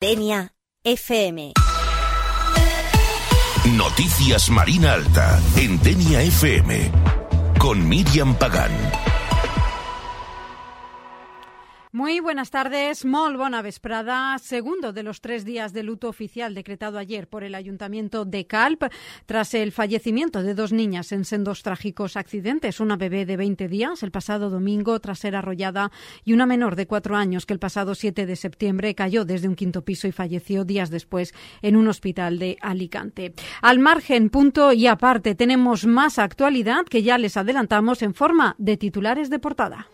Denia FM. Noticias Marina Alta en Denia FM con Míriam Pagán. Muy buenas tardes, molt bona vesprada. Segundo de los 3 días de luto oficial decretado ayer por el Ayuntamiento de Calp tras el fallecimiento de 2 niñas en sendos trágicos accidentes. Una bebé de 20 días el pasado domingo tras ser arrollada y una menor de 4 años que el pasado 7 de septiembre cayó desde un 5º piso y falleció días después en un hospital de Alicante. Al margen, punto y aparte, tenemos más actualidad que ya les adelantamos en forma de titulares de portada.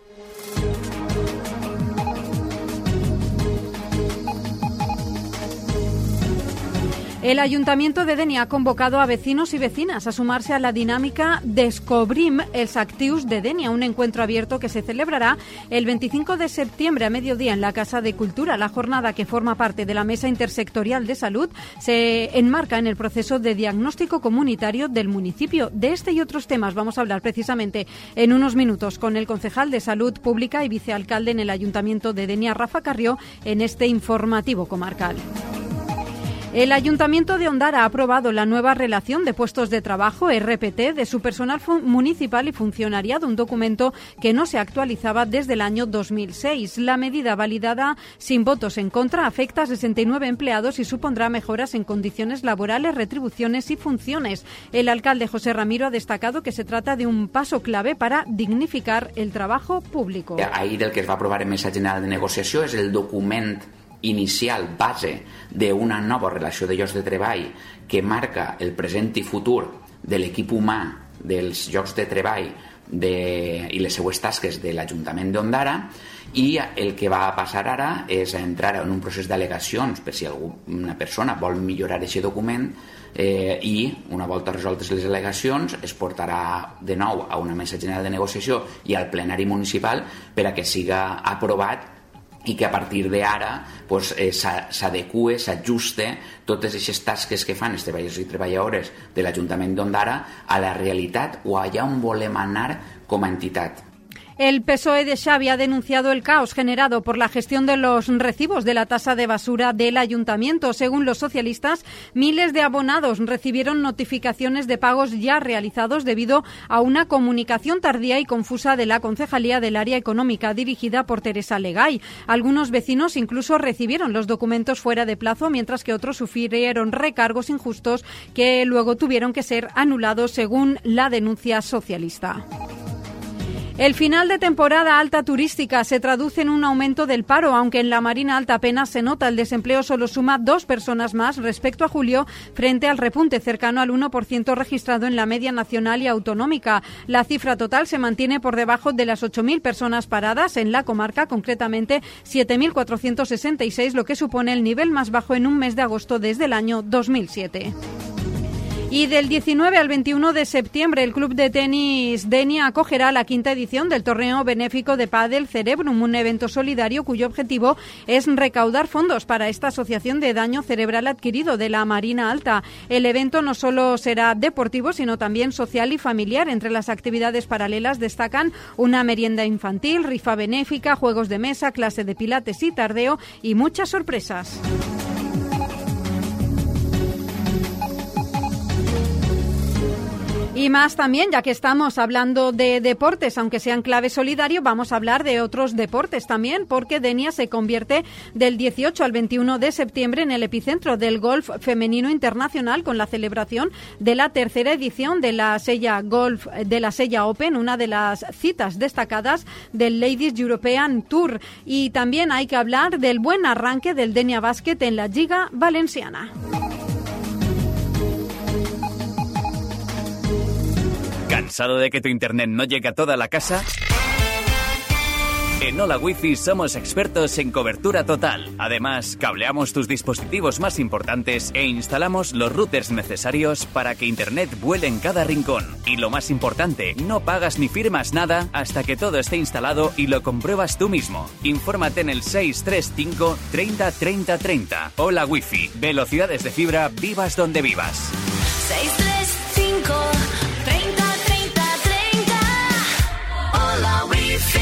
El Ayuntamiento de Denia ha convocado a vecinos y vecinas a sumarse a la dinámica Descobrim els actius de Denia, un encuentro abierto que se celebrará el 25 de septiembre a mediodía en la Casa de Cultura. La jornada, que forma parte de la Mesa Intersectorial de Salud, se enmarca en el proceso de diagnóstico comunitario del municipio. De este y otros temas vamos a hablar precisamente en unos minutos con el concejal de Salud Pública y vicealcalde en el Ayuntamiento de Denia, Rafa Carrió, en este informativo comarcal. El Ayuntamiento de Ondara ha aprobado la nueva relación de puestos de trabajo, RPT, de su personal municipal y funcionariado, un documento que no se actualizaba desde el año 2006. La medida, validada sin votos en contra, afecta a 69 empleados y supondrá mejoras en condiciones laborales, retribuciones y funciones. El alcalde José Ramiro ha destacado que se trata de un paso clave para dignificar el trabajo público. Ahir el que es va aprovar en Mesa General de Negociació és el document inicial, base d'una nova relació de llocs de treball que marca el present i futur de l'equip humà dels llocs de treball i les seues tasques de l'Ajuntament d'Ondara, i el que va passar ara és entrar en un procés d'al·legacions per si alguna persona vol millorar aquest document i una volta resoltes les al·legacions es portarà de nou a una mesa general de negociació i al plenari municipal per a que siga aprovat i que a partir d'ara pues, s'adeqüe, s'ajuste totes aquestes tasques que fan els treballadors i treballadores de l'Ajuntament d'Ondara a la realitat o allà on volem anar com a entitat. El PSOE de Xavi ha denunciado el caos generado por la gestión de los recibos de la tasa de basura del ayuntamiento. Según los socialistas, miles de abonados recibieron notificaciones de pagos ya realizados debido a una comunicación tardía y confusa de la Concejalía del Área Económica dirigida por Teresa Legay. Algunos vecinos incluso recibieron los documentos fuera de plazo, mientras que otros sufrieron recargos injustos que luego tuvieron que ser anulados, según la denuncia socialista. El final de temporada alta turística se traduce en un aumento del paro, aunque en la Marina Alta apenas se nota. El desempleo solo suma 2 personas más respecto a julio, frente al repunte cercano al 1% registrado en la media nacional y autonómica. La cifra total se mantiene por debajo de las 8.000 personas paradas en la comarca, concretamente 7.466, lo que supone el nivel más bajo en un mes de agosto desde el año 2007. Y del 19 al 21 de septiembre, el Club de Tenis Denia acogerá la 5ª edición del torneo benéfico de pádel Cerebrum, un evento solidario cuyo objetivo es recaudar fondos para esta asociación de daño cerebral adquirido de la Marina Alta. El evento no solo será deportivo, sino también social y familiar. Entre las actividades paralelas destacan una merienda infantil, rifa benéfica, juegos de mesa, clase de pilates y tardeo y muchas sorpresas. Y más también, ya que estamos hablando de deportes, aunque sea en clave solidario, vamos a hablar de otros deportes también, porque Denia se convierte del 18 al 21 de septiembre en el epicentro del golf femenino internacional, con la celebración de la 3ª edición de la Sella Open, una de las citas destacadas del Ladies European Tour. Y también hay que hablar del buen arranque del Denia Basket en la Lliga Valenciana. ¿Cansado de que tu internet no llegue a toda la casa? En Hola Wi-Fi somos expertos en cobertura total. Además, cableamos tus dispositivos más importantes e instalamos los routers necesarios para que internet vuele en cada rincón. Y lo más importante, no pagas ni firmas nada hasta que todo esté instalado y lo compruebas tú mismo. Infórmate en el 635 30 30 30. Hola Wi-Fi. Velocidades de fibra, vivas donde vivas. 635 30 30 30. Hola Wi-Fi.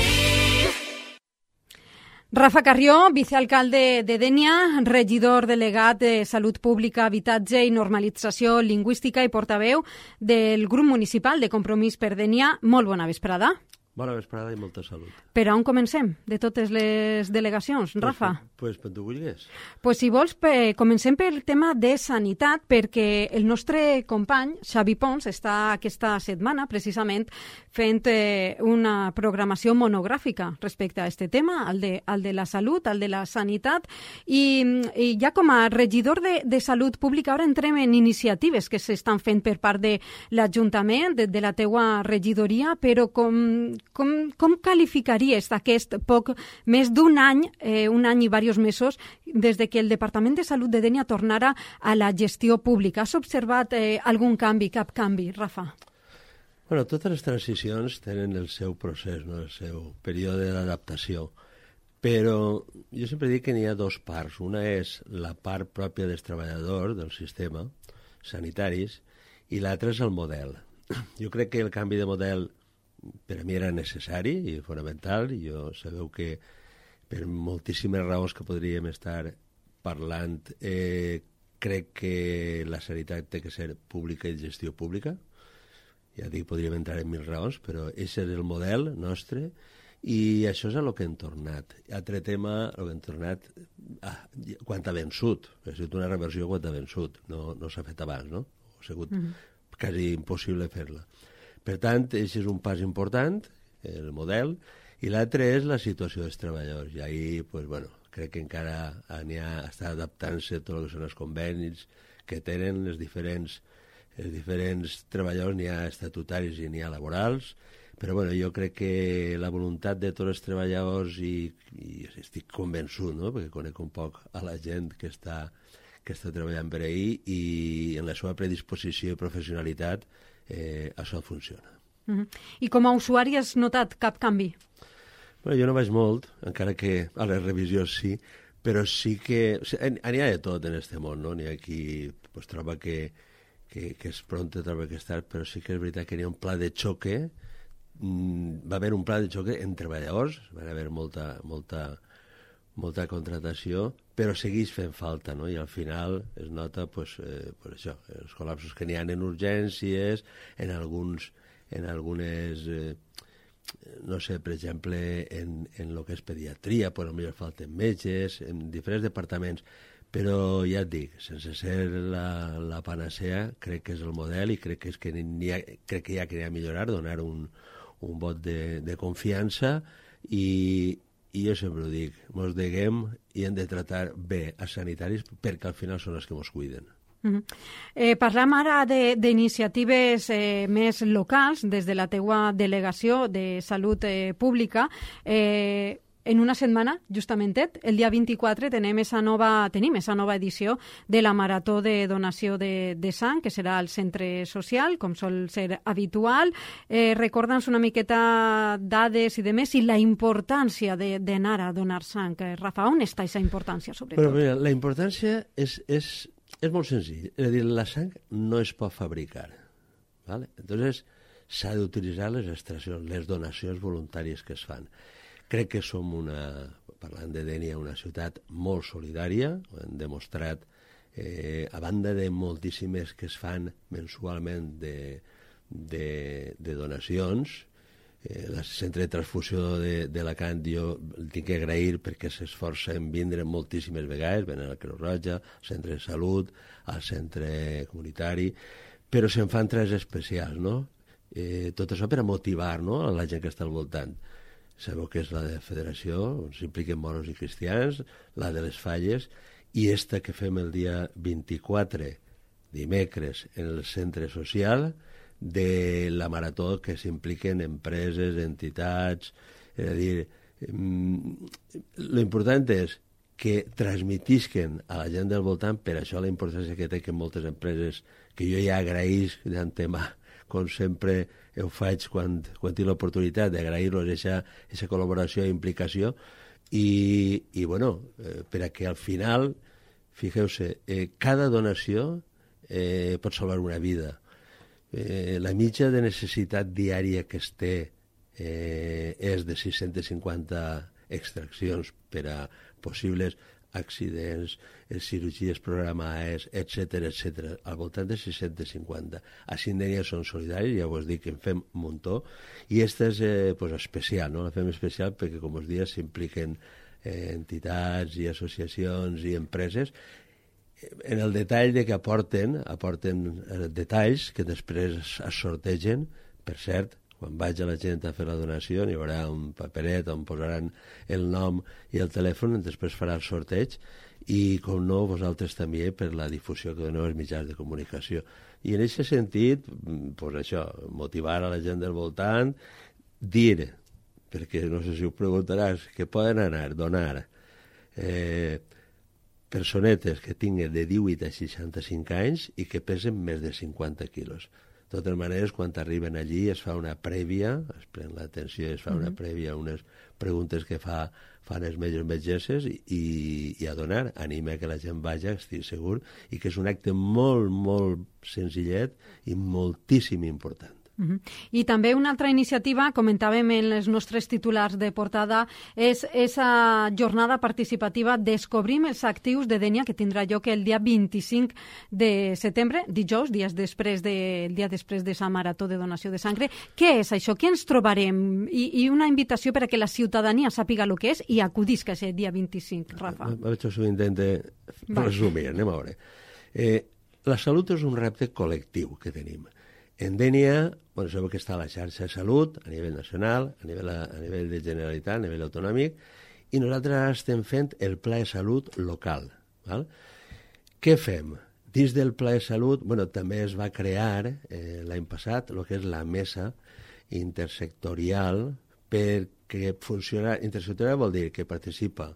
Rafa Carrió, vicealcalde de Dénia, regidor delegat de Salut Pública, Habitatge i Normalització Lingüística i portaveu del grup municipal de Compromís per Dénia. Molt bona vesprada. Bona vesprada i molta salut. Per on comencem de totes les delegacions, Rafa? Pues per tu vulguis. Pues si vols, comencem pel tema de sanitat, perquè el nostre company, Xavi Pons, està aquesta setmana precisament fent una programació monogràfica respecte a aquest tema, al de la salut, al de la sanitat, i ja com a regidor de Salut Pública ara entrem en iniciatives que s'estan fent per part de l'Ajuntament, de la teua regidoria, però com qualificaries aquest poc més d'un any, un any i diversos mesos, des de que el Departament de Salut de Dénia tornara a la gestió pública? Has observat algun canvi, cap canvi, Rafa? Bueno, totes les transicions tenen el seu procés, no? El seu període d'adaptació. Però jo sempre dic que n'hi ha dos parts. Una és la part pròpia dels treballadors del sistema sanitaris i l'altra és el model. Jo crec que el canvi de model per a mi era necessari i fonamental. Jo sabeu que per moltíssimes raons que podríem estar parlant crec que la sanitat té que ser pública i gestió pública. Ja dic, podríem entrar en 1000 raons, però aquest és el model nostre i això és a lo que hem tornat. Altre tema, el que hem tornat, quan ha vençut. Ha sigut una reversió quan ha vençut. No s'ha fet abans, no? Ha sigut quasi impossible fer-la. Per tant, aquest és un pas important, el model, i l'altre és la situació dels treballadors. I ahir, pues, bueno, crec que encara està adaptant-se tot el que són els convenis que tenen els diferents treballadors, n'hi ha estatutaris i n'hi ha laborals, però bueno, jo crec que la voluntat de tots els treballadors, i estic convençut, no?, perquè conec un poc a la gent que està treballant per ahir, i en la seva predisposició i professionalitat això funciona. I com a usuari has notat cap canvi? Bueno, jo no vaig molt, encara que a les revisions sí, però sí que... N'hi ha de tot en este món, no? N'hi ha qui pues, troba que és pronte, troba que és tard, però sí que és veritat que n'hi ha un pla de xoque, va haver un pla de xoque en treballadors, va haver molta contratació, però segueix fent falta, no? I al final es nota pues això, els col·lapsos que n'hi ha en urgències, en algunes, no sé, per exemple, en el que és pediatria, pues potser falten metges, en diferents departaments, però ja et dic, sense ser la panacea, crec que és el model i crec que hi ha que millorar, donar un vot de confiança i jo sempre ho dic, mos deguem i hem de tratar bé a sanitaris perquè al final són els que mos cuiden. Parlem ara d'iniciatives més locals des de la teua delegació de Salut Pública. En una setmana, justament el dia 24, tenim esa nova edició de la Marató de Donació de Sang, que serà al centre social, com sol ser habitual. Recorda'ns una miqueta dades i demés, i la importància d'anar a donar sang. Rafa, on està aquesta importància, sobretot? Bueno, mira, la importància és molt senzill. És a dir, la sang no es pot fabricar. ¿Vale? Entonces, s'ha d'utilitzar les extraccions, les donacions voluntàries que es fan. Crec que som parlant de Dénia, una ciutat molt solidària, ho hem demostrat, a banda de moltíssimes que es fan mensualment de donacions. El centre de transfusió d'Alacant jo el tinc que agrair perquè s'esforça en vindre moltíssimes vegades, venen a la Creu Roja, al centre de salut, al centre comunitari, però se'n fan 3 especials, no? Tot això per a motivar, no?, a la gent que està al voltant. Sabeu que és la de Federació, on s'impliquen moros i cristians, la de les Falles, i esta que fem el dia 24, dimecres, en el centre social, de la marató que s'impliquen empreses, entitats. És a dir, l'important és que transmetisquen a la gent del voltant, per això la importància que té que moltes empreses, que jo ja agraïs d'antemà, com sempre ho faig quan tinc l'oportunitat d'agrair-los aquesta col·laboració i implicació, i bueno, per a que al final, fixeu-se, cada donació pot salvar una vida. La mitja de necessitat diària que es té és de 650 extraccions per a possibles accidents, cirurgies programades, etc., al voltant de 650. A Sindènia són solidaris, ja us dic que en fem un muntó, i aquesta és especial, no? La fem especial perquè, com us dia, s'impliquen entitats i associacions i empreses en el detall de que aporten detalls que després es sortegen. Per cert, quan vaig a la gent a fer la donació hi haurà un paperet on posaran el nom i el telèfon, després farà el sorteig, i com no, vosaltres també per la difusió que doneu als mitjans de comunicació. I en aquest sentit, això, motivar a la gent del voltant, dir, perquè no sé si ho preguntaràs, que poden anar, donar personetes que tinguin de 18 a 65 anys i que pesen més de 50 quilos. De totes maneres, quan arriben allí es fa una prèvia, es pren l'atenció i es fa una prèvia, unes preguntes que fan els metges metgesses i a donar. Anima que la gent vagi, estic segur, i que és un acte molt, molt senzillet i moltíssim important. I també una altra iniciativa, comentàvem en les nostres titulars de portada, és esa jornada participativa Descobrim els actius de Dénia, que tindrà lloc el dia 25 de setembre, dijous, el dia després de la marató de donació de sangre. Què és això? Què ens trobarem? I una invitació per a que la ciutadania sàpiga el que és i acudisca aquest dia 25, Rafa. A veure si ho intente resumir, anem a veure. La salut és un repte col·lectiu que tenim. En Dénia, sabeu que està a la xarxa de salut a nivell nacional, a nivell de Generalitat, a nivell autonòmic, i nosaltres ara estem fent el Pla de Salut local. Val? Què fem? Dins del Pla de Salut, també es va crear l'any passat el que és la mesa intersectorial, perquè funciona. Intersectorial vol dir que participa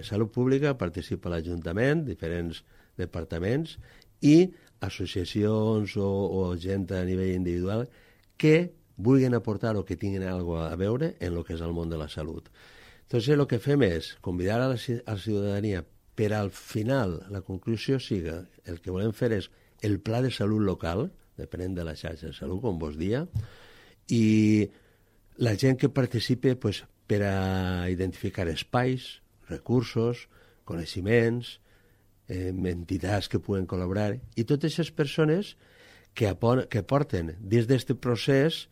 Salut Pública, participa l'Ajuntament, diferents departaments, i associacions o gent a nivell individual que vulguin aportar o que tinguin alguna cosa a veure en el que és el món de la salut. Entonces, el que fem és convidar a la ciutadania per al final, la conclusió siga, el que volem fer és el pla de salut local, depenent de la xarxa de salut, com vos dia, i la gent que participe per a identificar espais, recursos, coneixements, entitats que puguen col·laborar, i totes aquestes persones que porten dins d'aquest procés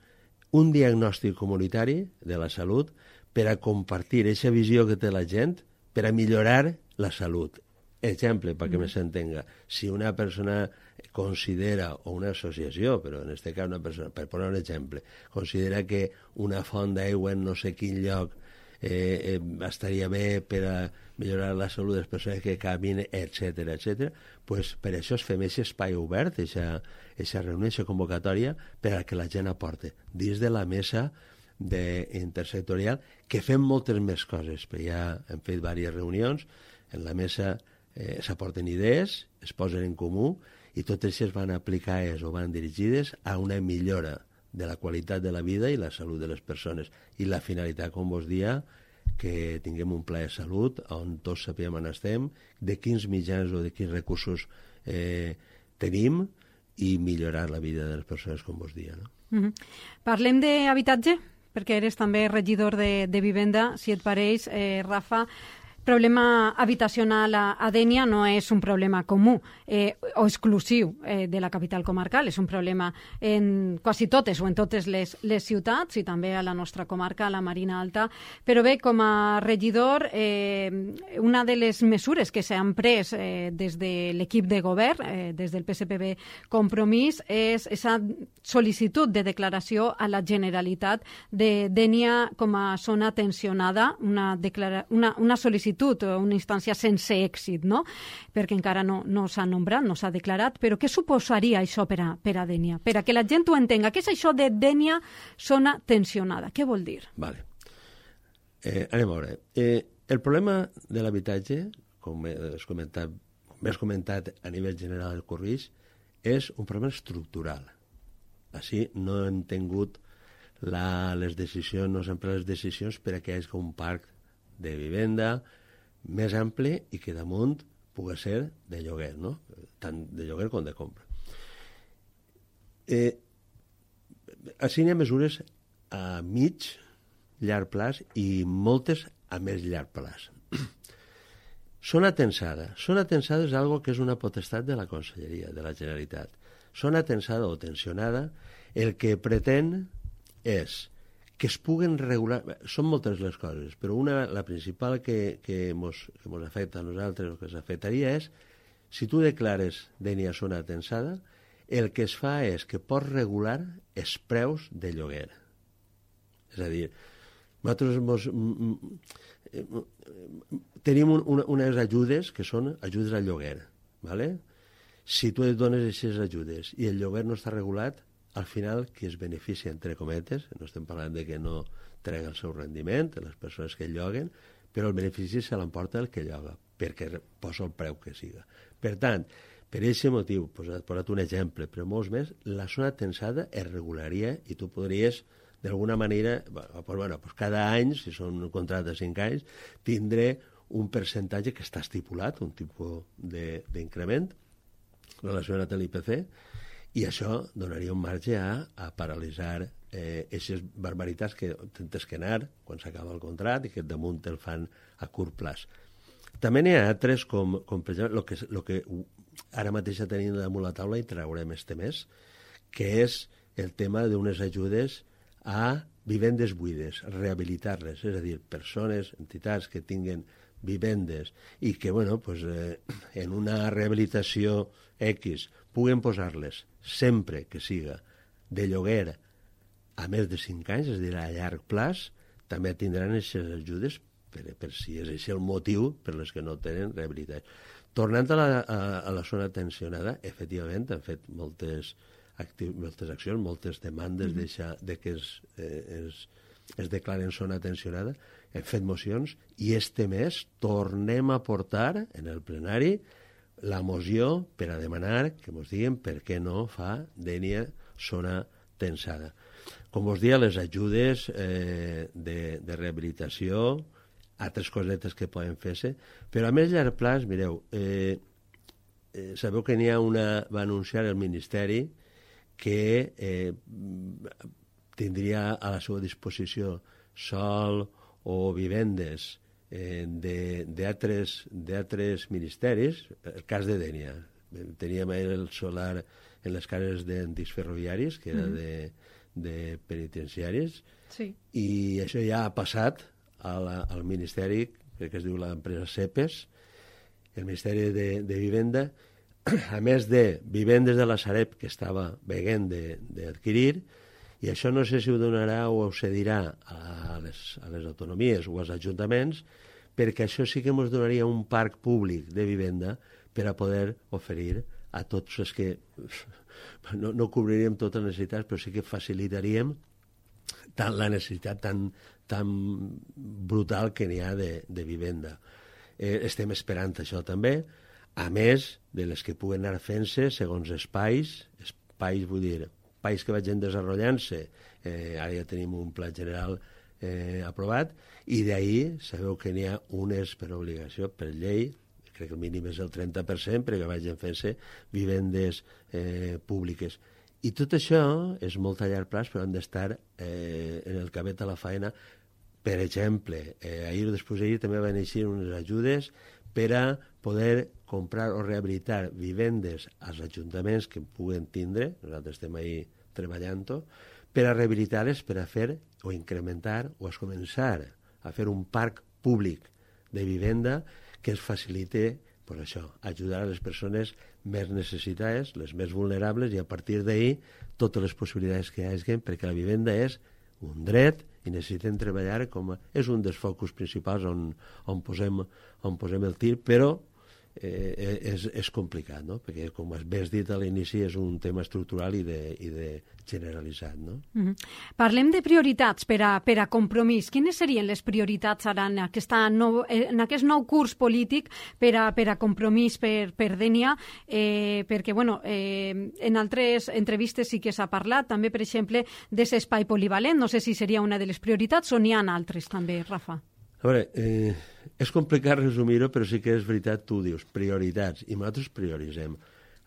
un diagnòstic comunitari de la salut per a compartir aquesta visió que té la gent per a millorar la salut. Exemple, perquè s'entenga, si una persona considera, o una associació, però en aquest cas una persona, per posar un exemple, considera que una font d'aigua en no sé quin lloc estaria bé per a millorar la salut de les persones que caminen, etc. Pues per això es fem aquest espai obert, aquesta reunió, aquesta convocatòria, per a que la gent aporte dins de la mesa intersectorial, que fem moltes més coses, perquè ja hem fet diverses reunions, en la mesa s'aporten idees, es posen en comú, i totes aquestes van aplicades o van dirigides a una millora de la qualitat de la vida i la salut de les persones. I la finalitat, com vos dia, que tinguem un pla de salut on tots sapiguem on estem, de quins mitjans o de quins recursos tenim i millorar la vida de les persones, com vos dia. No? Parlem d'habitatge, perquè eres també regidor de Vivenda, si et pareix, Rafa. Problema habitacional a Dénia no és un problema comú o exclusiu de la capital comarcal, és un problema en quasi totes o en totes les ciutats i també a la nostra comarca, a la Marina Alta. Però bé, com a regidor, una de les mesures que s'han pres des de l'equip de govern, des del PSPB Compromís, és aquesta sol·licitud de declaració a la Generalitat de Dénia com a zona tensionada, una sol·licitud, una instància sense èxit, no? Perquè encara no s'ha nombrat, no s'ha declarat, però què suposaria això per a Dénia? Per a que la gent ho entenga. Què és això de Dénia zona tensionada? Què vol dir? Vale. Anem a veure. El problema de l'habitatge, com has comentat a nivell general del Corrix, és un problema estructural. Així no hem tingut les decisions, no s'han pres les decisions per a que hi hagi un parc de vivenda més ampli i que damunt pugui ser de lloguer, no? Tant de lloguer com de compra. Així hi ha mesures a mig, llarg plaç i moltes a més llarg plaç. Zona tensada. Zona tensada és algo que és una potestat de la Conselleria, de la Generalitat. Zona tensada o tensionada, el que pretén és que es puguen regular... Són moltes les coses, però la principal que mos afecta a nosaltres, el que s'afectaria és, si tu declares d'ènia zona tensada, el que es fa és que pots regular els preus de lloguer. És a dir, nosaltres tenim unes ajudes que són ajudes al lloguer, ¿vale? Si tu et dones aquestes ajudes i el lloguer no està regulat, al final qui es beneficia, entre cometes, no estem parlant de que no trega el seu rendiment, les persones que lloguen, però el benefici se l'emporta el que lloga, perquè posa el preu que siga. Per tant, per aquest motiu, he posat un exemple, però molts més, la zona tensada es regularia i tu podries, d'alguna manera, cada any, si són contractes de 5 anys, tindré un percentatge que està estipulat, un tipus d'increment relacionat amb l'IPC, i això donaria un marge a paralitzar aquestes barbaritats que tens que anar quan s'acaba el contracte i que damunt el fan a curt plaç. També n'hi ha altres, com per exemple, el que ara mateix tenim damunt la taula i traurem este mes, que és el tema d'unes ajudes a vivendes buides, rehabilitar-les, és a dir, persones, entitats que tinguen vivendes i que, en una rehabilitació X puguen posar-les sempre que siga de lloguer a més de 5 anys, és a dir, a llarg plaç, també tindran aquestes ajudes per si és aquest el motiu per les que no tenen rehabilitat. Tornant a la zona tensionada, efectivament, han fet moltes accions, moltes demandes de que es declaren zona tensionada, hem fet mocions i este mes tornem a portar en el plenari la moció per a demanar que ens diguin per què no fa d'ènia zona tensada. Com us deia, les ajudes de rehabilitació, altres cosetes que poden fer-se, però a més llarg plaç, mireu, sabeu que va anunciar el Ministeri que tindria a la seva disposició sòl o vivendes d'altres ministeris, el cas de Dénia. Teníem el solar en les cases d'antics ferroviaris, que era de penitenciaris, sí. I això ja ha passat al Ministeri, crec que es diu l'empresa CEPES, el Ministeri de Vivenda, a més de vivendes de la Sareb que estava veient d'adquirir, i això no sé si ho donarà o ho cedirà a les autonomies o als ajuntaments, perquè això sí que ens donaria un parc públic de vivenda per a poder oferir a tots els que... No cobriríem totes les necessitats, però sí que facilitaríem la necessitat tan brutal que n'hi ha de vivenda. Estem esperant això també, a més de les que puguen anar fent-se segons espais, vull dir, espais que vagin desenvolupant-se, ara ja tenim un pla general aprovat, i d'ahir sabeu que n'hi ha unes per obligació, per llei, crec que el mínim és el 30%, perquè vagin fent-se vivendes públiques. I tot això és molt a llarg plaç, però han d'estar en el cabet a la faena. Per exemple, ahir o després d'ahir també van eixir unes ajudes per a poder comprar o rehabilitar vivendes als ajuntaments que puguen tindre, nosaltres estem ahir treballant-ho, per a rehabilitar-les, per a fer o incrementar o a començar a fer un parc públic de vivenda que ens facilite això, ajudar a les persones més necessitades, les més vulnerables, i a partir d'ahir totes les possibilitats que hi hagi, perquè la vivenda és un dret i necessitem treballar és un dels focus principals on posem el tir, però és complicat, no? Perquè, com has dit a l'inici, és un tema estructural i de generalitzat, no? Parlem de prioritats per a Compromís. Quines serien les prioritats ara en aquest nou curs polític per a Compromís per Dénia? Perquè, en altres entrevistes sí que s'ha parlat, també, per exemple, d'aquest espai polivalent. No sé si seria una de les prioritats o n'hi ha altres, també, Rafa. A veure, és complicat resumir-ho, però sí que és veritat, tu dius, prioritats, i nosaltres prioritzem.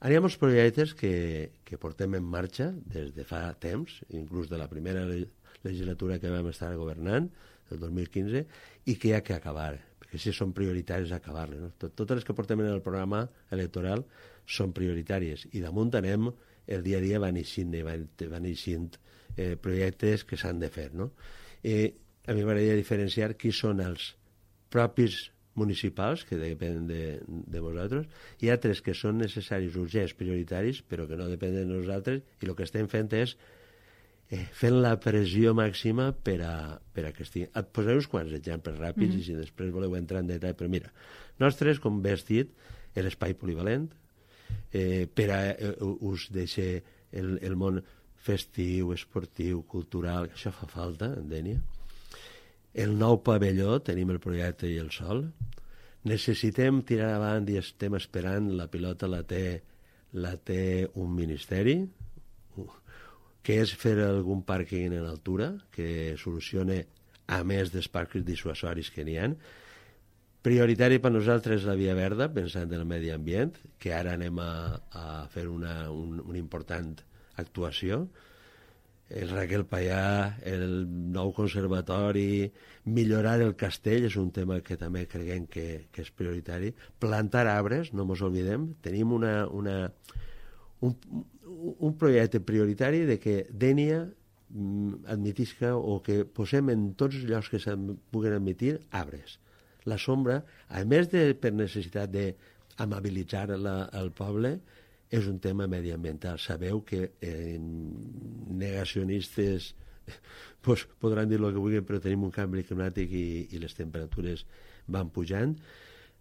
Hi ha molts projectes que portem en marxa des de fa temps, inclús de la primera legislatura que vam estar governant, el 2015, i que hi ha que acabar, perquè si són prioritaris acabar-les. No? Totes les que portem en el programa electoral són prioritàries, i damunt anem el dia a dia van eixint projectes que s'han de fer. No? A mi m'agradaria diferenciar qui són els propis municipals, que depenen de vosaltres, i altres que són necessaris, urgents, prioritaris, però que no depenen de nosaltres, i el que estem fent és fent la pressió màxima per a que estiguin. Et posaré uns quants exemples ràpids, i si després voleu entrar en detall, però mira, nostres, com bé has dit, l'espai polivalent, per a us deixar el món festiu, esportiu, cultural, que això fa falta, en Dénia. El nou pavelló, tenim el projecte i el sol. Necessitem tirar avant i estem esperant, la pilota la té un ministeri, que és fer algun pàrquing en altura, que solucione, a més dels parcs dissuasoris que n'hi ha. Prioritari per nosaltres la via verda, pensant en el medi ambient, que ara anem a fer una important actuació. El Raquel Payà, el nou conservatori, millorar el castell és un tema que també creiem que és prioritari. Plantar arbres, no ens oblidem. Tenim un projecte prioritari de que Dénia admetisca o que posem en tots els llocs que se'n puguen admetir arbres. La sombra, a més de per necessitat d'amabilitzar el poble, és un tema mediambiental. Sabeu que negacionistes podran dir el que vulguin, però tenim un canvi climàtic i les temperatures van pujant.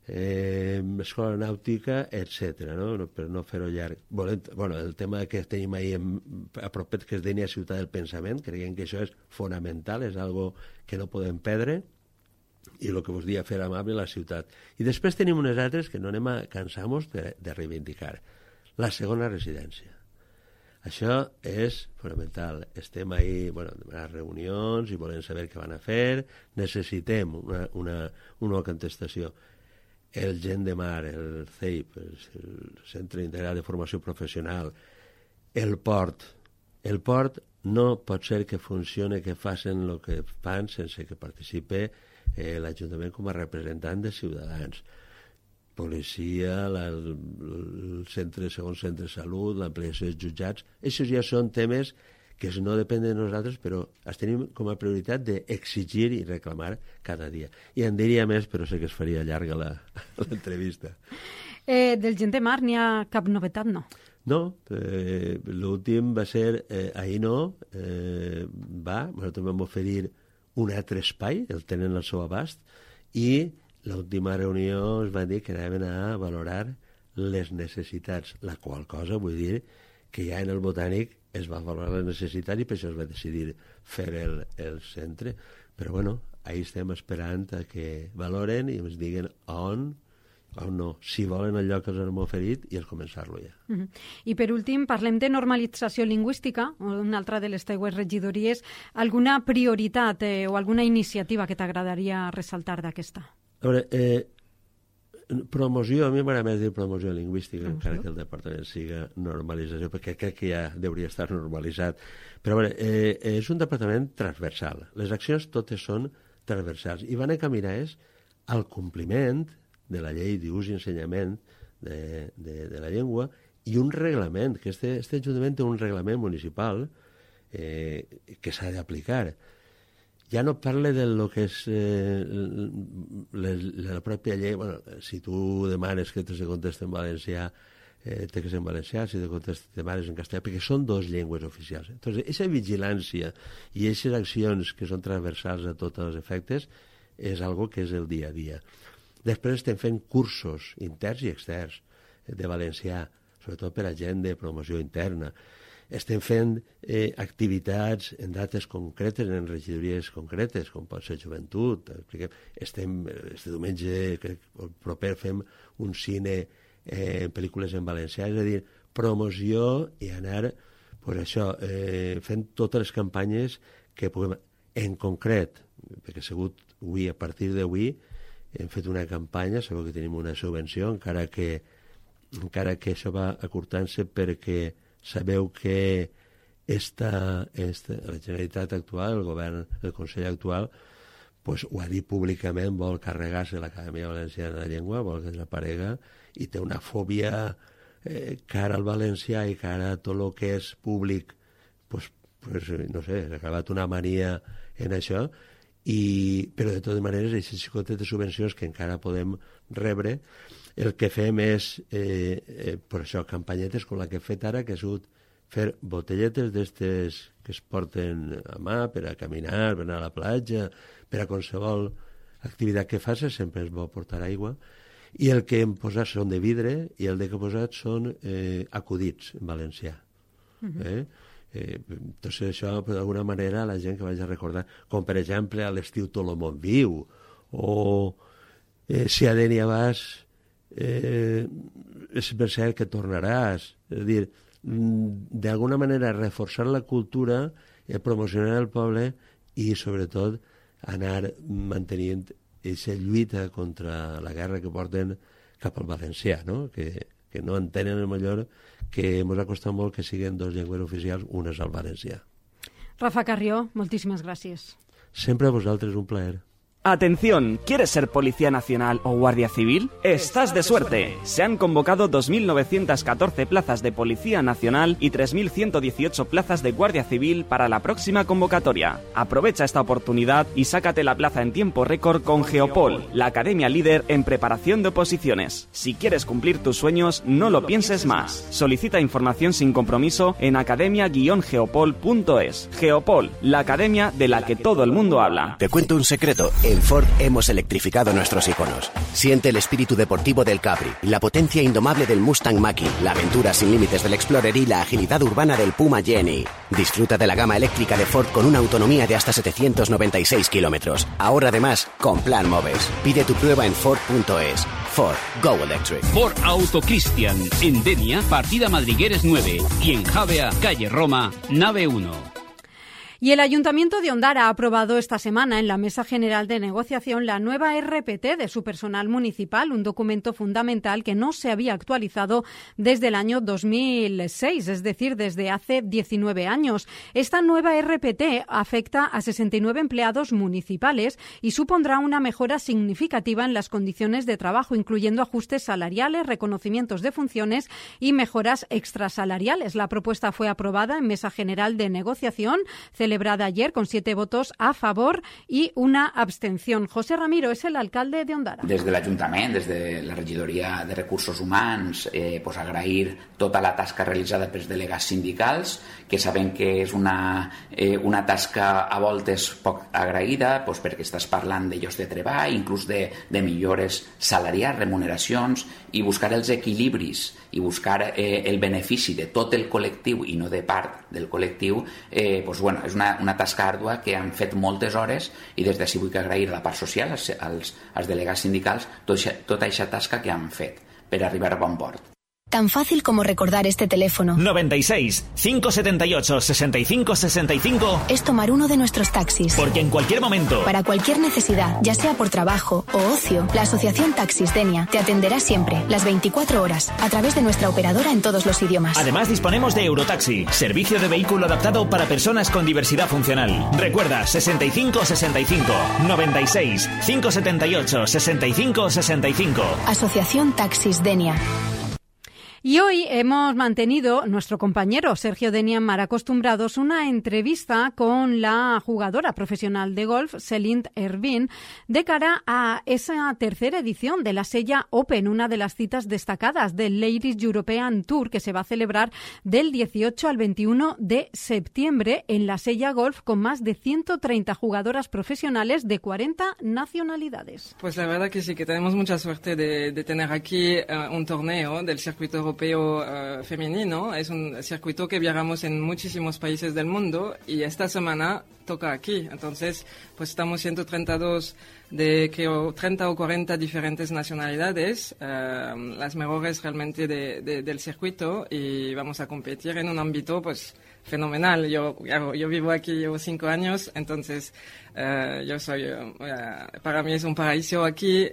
Escola nàutica, etc. No? Per no fer-ho llarg. El tema que tenim ahir a propet, que és Dénia Ciutat del Pensament, creiem que això és fonamental, és algo que no podem perdre, i el que vos dia fer amable la ciutat. I després tenim unes altres que no anem a cansar-nos de reivindicar. La segona residència. Això és fonamental. Estem ahí, demanant reunions i volem saber què van a fer. Necessitem una contestació. El Gent de Mar, el CEIP, el Centre Integral de Formació Professional, el port. El port no pot ser que funcione, que facin el que fan sense que participe l'Ajuntament com a representant de ciutadans. Policia, el segon centre de salut, l'ampliació dels jutjats. Això ja són temes que no depenen de nosaltres, però els tenim com a prioritat d'exigir i reclamar cada dia. I en diria més, però sé que es faria llarga l'entrevista. Del Gent de Mar n'hi ha cap novetat, no? No, l'últim va ser, ahir no, nosaltres vam oferir un altre espai, el tenen al seu abast, i l'última reunió es va dir que anaven a valorar les necessitats, la qual cosa vull dir que ja en el Botànic es va valorar les necessitats i per això es va decidir fer el centre. Però ahí estem esperant a que valoren i ens diguen on no, si volen el lloc que els hem oferit i el començar-lo ja. I per últim, parlem de normalització lingüística, una altra de les teues regidories. Alguna prioritat o alguna iniciativa que t'agradaria ressaltar d'aquesta? A veure, promoció, a mi m'agrada més dir promoció lingüística, encara que el departament siga normalització, perquè crec que ja hauria estar normalitzat. Però a veure, és un departament transversal. Les accions totes són transversals i van encaminades al compliment de la llei d'ús i ensenyament de la llengua i un reglament, que este Ajuntament té un reglament municipal que s'ha d'aplicar. Ja no parle de lo que és la pròpia llei. Si tu demanes que te se contesti en valencià, té que ser en valencià, si te demanes en castellà, perquè són dues llengües oficials. Entonces, aquesta vigilància i aquestes accions que són transversals a tots els efectes és algo que és el dia a dia. Després estem fent cursos interns i externs de valencià, sobretot per a gent de promoció interna. Estem fent activitats en dates concretes, en regidories concretes, com pot ser joventut. Este diumenge, proper, fem un cine en pel·lícules en valencià, és a dir, promoció i anar fent totes les campanyes que puguem. En concret, perquè a partir d'avui hem fet una campanya, sabeu que tenim una subvenció, encara que això va acurtant-se perquè sabeu que la Generalitat actual, el govern, el Consell actual, pues, ho ha dit públicament, vol carregar-se l'Acadèmia Valenciana de Llengua, vol que desaparega, i té una fòbia cara al valencià i cara a tot el que és públic, pues, no sé, ha acabat una mania en això, però de totes maneres, aquestes xicotetes subvencions que encara podem rebre, el que fem és, per això, campanyetes com la que he fet ara, que ha sigut fer botelletes d'estes que es porten a mà per a caminar, per anar a la platja, per a qualsevol activitat que facis, sempre és bo portar aigua, i el que hem posat són de vidre i el que he posat són acudits en valencià. Entonces això, d'alguna manera, la gent que vaig a recordar, com per exemple a l'estiu tot el món viu, o si a Dénia vas, és per cert que tornaràs. És a dir, d'alguna manera reforçar la cultura, promocionar el poble i, sobretot, anar mantenint aquesta lluita contra la guerra que porten cap al valencià, no? Que no entenen, millor, que ens ha costat molt que siguin dos llengües oficials, una és el valencià. Rafa Carrió, moltíssimes gràcies. Sempre a vosaltres, un plaer. Atención, ¿quieres ser Policía Nacional o Guardia Civil? ¡Estás de suerte! Se han convocado 2.914 plazas de Policía Nacional y 3.118 plazas de Guardia Civil para la próxima convocatoria. Aprovecha esta oportunidad y sácate la plaza en tiempo récord con Geopol, la academia líder en preparación de oposiciones. Si quieres cumplir tus sueños, no lo pienses más. Solicita información sin compromiso en academia-geopol.es. Geopol, la academia de la que todo el mundo habla. Te cuento un secreto. En Ford hemos electrificado nuestros iconos. Siente el espíritu deportivo del Capri, la potencia indomable del Mustang Mach-E, la aventura sin límites del Explorer y la agilidad urbana del Puma Jenny. Disfruta de la gama eléctrica de Ford con una autonomía de hasta 796 kilómetros. Ahora además con Plan Moves. Pide tu prueba en Ford.es. Ford, Go Electric. Ford Auto Cristian, en Denia, partida Madrigueres 9 y en Javea, calle Roma, nave 1. Y el Ayuntamiento de Ondara ha aprobado esta semana en la Mesa General de Negociación la nueva RPT de su personal municipal, un documento fundamental que no se había actualizado desde el año 2006, es decir, desde hace 19 años. Esta nueva RPT afecta a 69 empleados municipales y supondrá una mejora significativa en las condiciones de trabajo, incluyendo ajustes salariales, reconocimientos de funciones y mejoras extrasalariales. La propuesta fue aprobada en Mesa General de Negociación, celebrada ayer con 7 votos a favor y una abstención. José Ramiro és l'alcalde de Ondara. Des de l'Ajuntament, des de la regidoria de Recursos Humans, pues agrair tota la tasca realitzada pels delegats sindicals, que sabem que és una tasca a voltes poc agraïda, pues perquè estàs parlant de llocs de treball, inclús de millores salarials, remuneracions, i buscar els equilibris i buscar el benefici de tot el col·lectiu i no de part del col·lectiu, pues bueno, és una tasca àrdua que han fet moltes hores i des d'ací vull agrair a la part social, als delegats sindicals, tota aquesta tasca que han fet per arribar a bon port. Tan fácil como recordar este teléfono. 96 578 65 65 es tomar uno de nuestros taxis. Porque en cualquier momento, para cualquier necesidad, ya sea por trabajo o ocio, la Asociación Taxis Denia te atenderá siempre, las 24 horas, a través de nuestra operadora en todos los idiomas. Además disponemos de Eurotaxi, servicio de vehículo adaptado para personas con diversidad funcional. Recuerda, 65 65 96 578 65 65. Asociación Taxis Denia. Y hoy hemos mantenido, nuestro compañero Sergio Denia Mar Acostumbrados, una entrevista con la jugadora profesional de golf, Celine Ervin, de cara a esa tercera edición de la Sella Open, una de las citas destacadas del Ladies European Tour que se va a celebrar del 18 al 21 de septiembre en la Sella Golf, con más de 130 jugadoras profesionales de 40 nacionalidades. Pues la verdad que sí, que tenemos mucha suerte de tener aquí un torneo del circuito europeo femenino. Es un circuito que viajamos en muchísimos países del mundo y esta semana toca aquí. Entonces, pues estamos 132 de, creo, 30 o 40 diferentes nacionalidades, las mejores realmente del circuito, y vamos a competir en un ámbito, pues, fenomenal. Yo vivo aquí, llevo 5 años, entonces para mí es un paraíso aquí.